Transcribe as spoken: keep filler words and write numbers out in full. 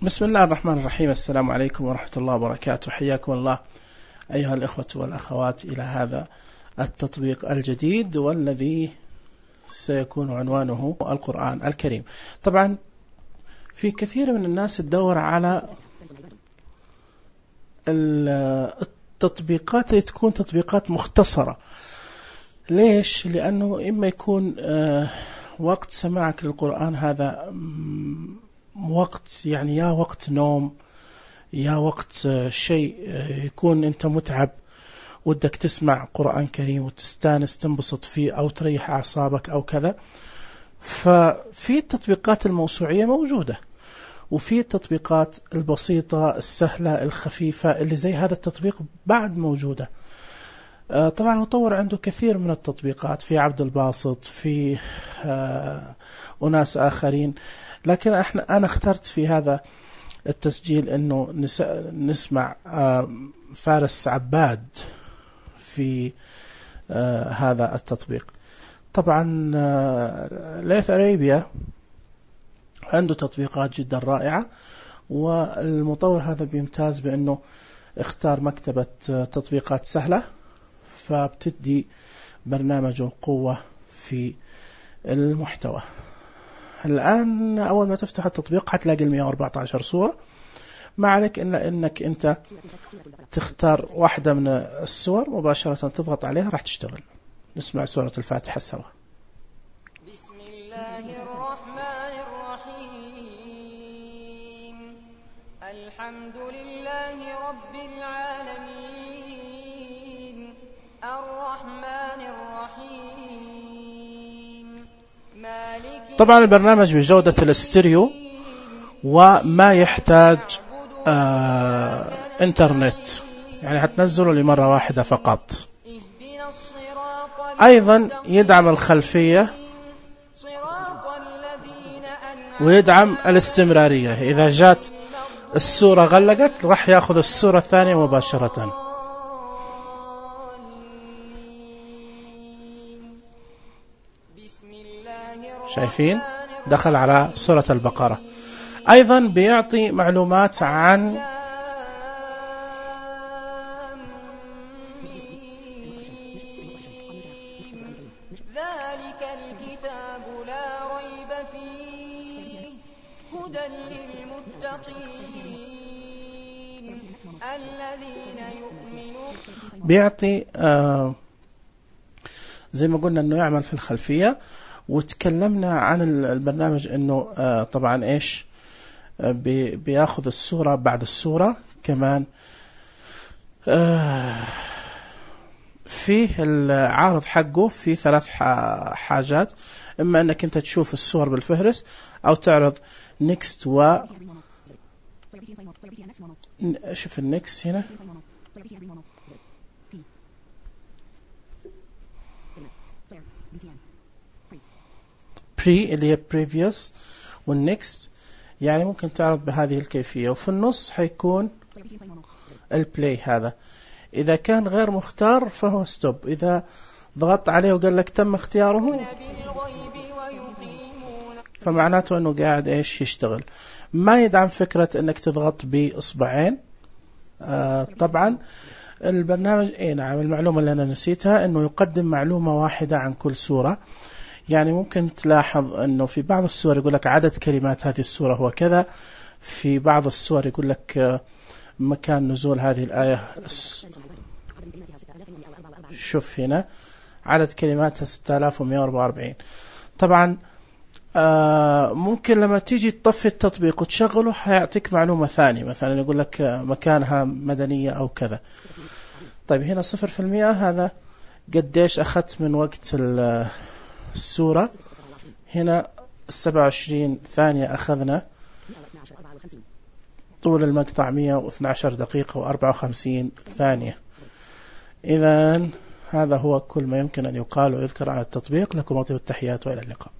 بسم الله الرحمن الرحيم. السلام عليكم ورحمة الله وبركاته. حياكم الله أيها الإخوة والأخوات إلى هذا التطبيق الجديد والذي سيكون عنوانه القرآن الكريم. طبعا في كثير من الناس تدور على التطبيقات اللي تكون تطبيقات مختصرة. ليش؟ لأنه إما يكون وقت سماعك للقرآن هذا وقت يعني يا وقت نوم يا وقت شيء يكون أنت متعب ودك تسمع قرآن كريم وتستانس تنبسط فيه أو تريح أعصابك أو كذا. ففي التطبيقات الموسوعية موجودة، وفي التطبيقات البسيطة السهلة الخفيفة اللي زي هذا التطبيق بعد موجودة. طبعا المطور عنده كثير من التطبيقات، في عبد الباسط، في أناس آخرين، لكن احنا أنا اخترت في هذا التسجيل أنه نسمع فارس عباد في هذا التطبيق. طبعا ليث أريبيا عنده تطبيقات جدا رائعة، والمطور هذا بيمتاز بأنه اختار مكتبة تطبيقات سهلة، فبتدي برنامجه قوة في المحتوى. الآن أول ما تفتح التطبيق هتلاقي المئة وأربعة عشر صورة، ما عليك إلا إنك أنت تختار واحدة من الصور مباشرة تضغط عليها راح تشتغل. نسمع سورة الفاتحة سوا. بسم الله الرحمن الرحيم. الحمد لله رب العالمين الرحمن الرحيم مالك. طبعا البرنامج بجودة الاستيريو وما يحتاج آه انترنت، يعني هتنزله لمرة واحدة فقط. أيضا يدعم الخلفية ويدعم الاستمرارية، إذا جات الصورة غلقت راح ياخذ الصورة الثانية مباشرة. شايفين؟ دخل على سورة البقرة. أيضا بيعطي معلومات عن ذلك الكتاب لا ريب فيه هدى للمتقين الذين يؤمنون. بيعطي آه زي ما قلنا انه يعمل في الخلفية. وتكلمنا عن البرنامج انه آه طبعا ايش آه بي بياخذ الصورة بعد الصورة كمان. آه فيه العارض حقه في ثلاث حاجات، اما انك انت تشوف الصور بالفهرس او تعرض نيكست و شوف النيكست هنا بري اللي هي previous والنيكست، يعني ممكن تعرض بهذه الكيفية. وفي النص حيكون البلاي. هذا إذا كان غير مختار فهو ستوب، إذا ضغطت عليه وقال لك تم اختياره فمعناته أنه قاعد إيش يشتغل. ما يدعم فكرة أنك تضغط بإصبعين. آه طبعا البرنامج إيه نعم، المعلومة اللي أنا نسيتها أنه يقدم معلومة واحدة عن كل سورة. يعني ممكن تلاحظ أنه في بعض السور يقول لك عدد كلمات هذه السورة هو كذا، في بعض السور يقول لك مكان نزول هذه الآية. شوف هنا عدد كلماتها ستة آلاف ومئة وأربعة وأربعين. طبعا آه ممكن لما تيجي تطفي التطبيق وتشغله هيعطيك معلومة ثانية، مثلا يقول لك مكانها مدنية أو كذا. طيب هنا صفر في المئة، هذا قديش أخذت من وقت السورة. هنا سبعة وعشرين ثانية أخذنا. طول المقطع مئة واثني عشر دقيقة وأربعة وخمسين ثانية. إذن هذا هو كل ما يمكن أن يقال ويذكر عن التطبيق. لكم أطيب التحيات وإلى اللقاء.